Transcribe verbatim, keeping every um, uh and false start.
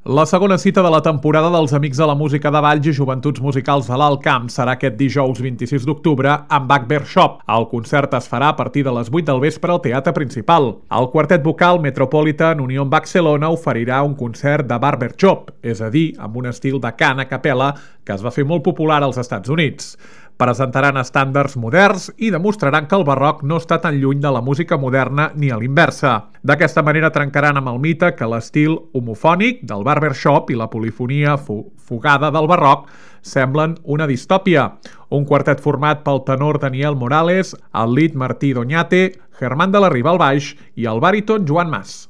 La segona cita de la temporada dels Amics de la Música de Valls i Joventuts Musicals de l'Alt Camp serà aquest dijous vint-i-sis d'octubre amb Bach Shop. El concert es farà a partir de les vuit del vespre al Teatre Principal. El quartet vocal Metropolitan Union Barcelona oferirà un concert de Barber Shop, és a dir, amb un estil de cant a capella que es va fer molt popular als Estats Units. Presentaran estàndards moderns i demostraran que el barroc no està tan lluny de la música moderna ni a l'inversa. D'aquesta manera trencaran amb el mite que l'estil homofònic del barbershop i la polifonia fu fugada del barroc semblen una distòpia. Un quartet format pel tenor Daniel Morales, el lead Martí Doñate, Germán de la Riva al baix i el bàriton Joan Mas.